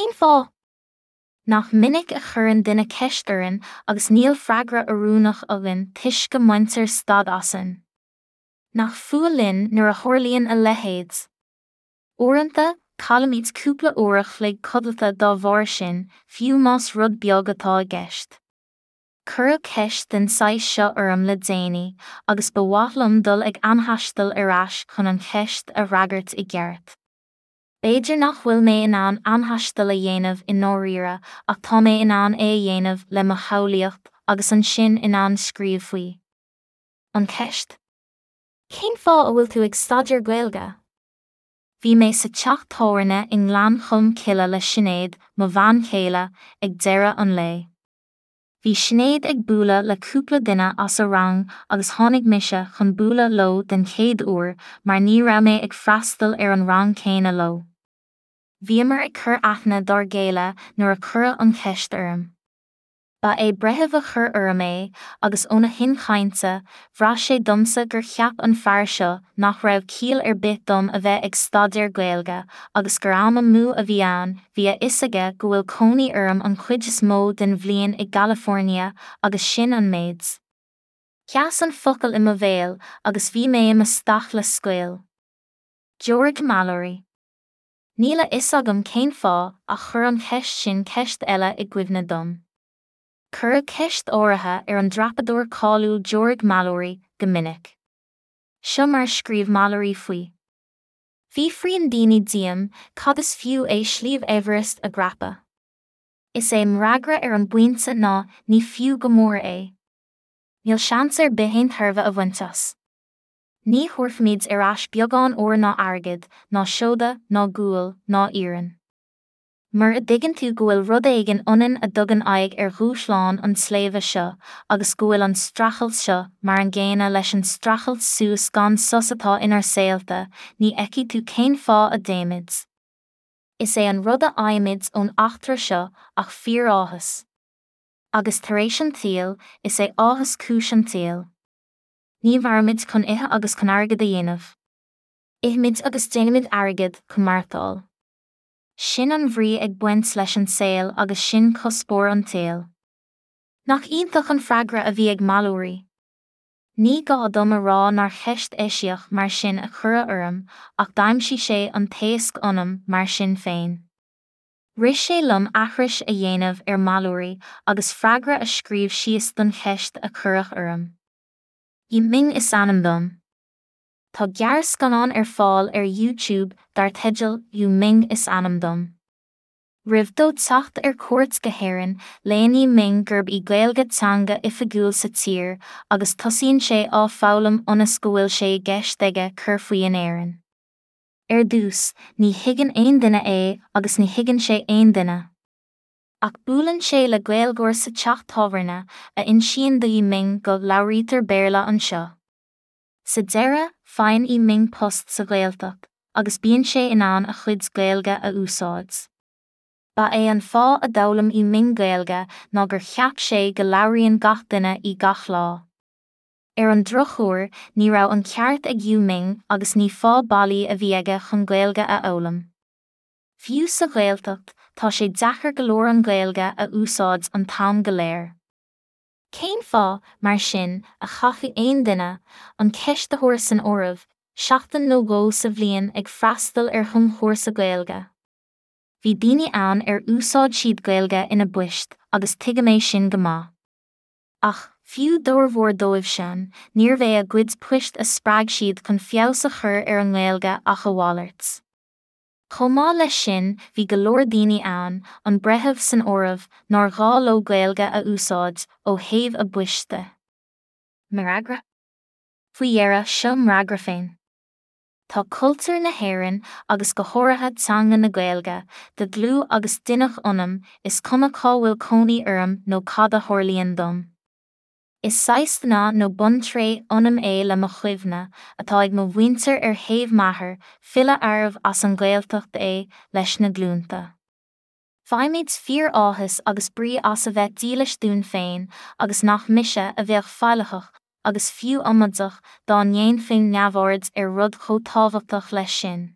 Cén fáth? Nach minic a chuireann duine ceist orainn agus níl freagra oiriúnach againn toisc go mbaintear stad asainn? Nach fuath linn nuair a tharlaíonn a leithéid? Uaireanta, caillimid cúpla uair a chloig codlata dá bharr sin, fiú más rud beag atá i gceist. Cuireadh ceist den saghas seo orm le déanaí agus ba mhaith liom dul ag amthaisteal ar ais chun an cheist a fhreagairt i gceart. B'fhéidir nach bhfuil mé in ann amthaisteal a dhéanamh i ndáiríre ach tá mé in ann é a dhéanamh le mo shamhlaíocht agus ansin in ann scríobh faoi. An cheist? Cén fáth a bhfuil tú ag staidéar Gaeilge? Bhí mé sa teach tábhairne i nGleann Cholm Cille le Sinéad, mo bhean chéile, ag deireadh an lae. Bhí Sinéad ag bualadh le cúpla duine as a rang agus tháinig mise chun bualadh leo den chéad uair mar ní raibh mé ag freastal ar an rang céanna leo. Bhíomar ag cur aithne dár gcéile nuair a cuireadh an cheist orm. Ba é breitheamh a chuir orm é agus óna thuin chainte, bhraith sé domsa gur cheap an fear seo nach raibh ciall ar bith dom a bheith ag staidéar Gaeilge agus gur am amú a bhí ann, bhí a fhios aige go bhfuil cónaí orm an chuid is mó den bhliain i gCalifornia agus sin an méid. Sheas an focal i mo bhéal agus bhí mé i mo staic le scaoll. George Mallory. Níl a fhios agam cén fáth ach chuir an cheist sin ceist eile i gcuimhne dom. Cuireadh ceist áirithe ar an dreapadóir cáiliúil George Mallory go minic. Seo mar a scríobh Mallory faoi. Fiafraíonn daoine díom cad is fiú é Sliabh Everest a dhreapadh. Is é m'fhreagra ar an bpointe ná ní fiú go mór é. Níl seans ar bith aon tairbhe a bhaint as. Ní thabharfaimid ar ais beagán óir ná airgid, ná seoda, ná gual, ná iarann. Mura dtuigeann tú go bhfuil rud éigin ionainn a dtugann aghaidh ar dhúshlán an tsléibhe seo agus go bhfuil an streachailt seo mar an gcéanna leis an streachailt suas gan sos atá inár saolta, ní fheicfidh tú cén fáth a dtéimid. Is é an rud a fhaighimid ón eachtra seo ach fíoráthas. Agus tar éis an tsaoil, is é áthas cúis an tsaoil. Ní mhairimid chun ithe agus chun airgead a dhéanamh. Ithimid agus déanaimid airgead chun maireachtáil. Sin an bhrí ag baint leis an saol agus sin cuspóir an tsaoil. Nach iontach an freagra a bhí ag Mallory? Ní gá dom a rá nár cheist eisiach mar sin a cuireadh orm ach d'aimsigh sé an t-éasc ionam mar sin féin. Rith sé liom aithris a dhéanamh ar Mallory agus freagra a scríobh síos don cheist a cuireadh orm. Yu Ming is ainm dom. Tá gearrscannán ar fáil ar YouTube dar teideal Yu Ming is ainm dom. Roimh dó teacht ar cuairt go hÉirinn, léann Yu Ming gurb í Gaeilge teanga oifigiúil sa tír agus tosaíonn sé á foghlaim ionas go bhfuil sé i gceist aige cur faoi in Éirinn. Ar dtús, ní thuigeann aon duine é agus ní thuigeann sé aon duine. Ach buaileann sé le Gaeilgeoir sa teach tábhairne a insíonn do Yu Ming go labhraítear Béarla anseo. Sa deireadh, faigheann Yu Ming post sa Ghaeltacht agus bíonn sé in ann a chuid Gaeilge a úsáid. Ba é an fáth a d'fhoghlaim Yu Ming Gaeilge ná gur cheap sé go labhraíonn gach duine í gach lá. Ar an drochuair, ní raibh an ceart ag Yu Ming agus ní fáth bailí a bhí aige chun Gaeilge a fhoghlaim. Fiú sa Ghaeltacht, tá sé deacair go leor an Ghaeilge a úsáid an t-am go léir. Cén fáth, mar sin, a chaithfeadh aon duine, an ceistitheoir san áireamh, seachtain nó dhó sa bhliain ag freastal ar thumchúrsa Gaeilge? Bhí daoine ann ar úsáid siad Gaeilge ina bpoist agus tuigim é sin go maith. Ach, fiú d'fhormhór dóibhsean, níorbh é a gcuid poist a spreag siad chun feabhas a chur ar a nGaeilge ach a mhalairt. Chomh maith leis sin, bhí go leor daoine ann, an breitheamh san áireamh, nár ghá leo Gaeilge a úsáid, ó thaobh a bpoist de. M'fhreagra? Faoi dheireadh, seo m'fhreagra féin. Tá cultúr na hÉireann, agus go háirithe teanga na Gaeilge, de dhlúth agus d'inneach ionam, is cuma cá bhfuil cónaí orm nó cad a tharlaíonn dom. Is saghas dna nó buntréith ionam é le mo chuimhne, atá ag mo mhuintir ar thaobh m'athar, file arbh as an Ghaeltacht é, leis na glúnta. Faighimid fíor-áthas agus brí as a bheith dílis dúinn féin agus nach mise a bheadh faillitheach, agus fiú amaideach, dá ndéanfainn neamhaird ar rud chomh tábhachtach leis sin.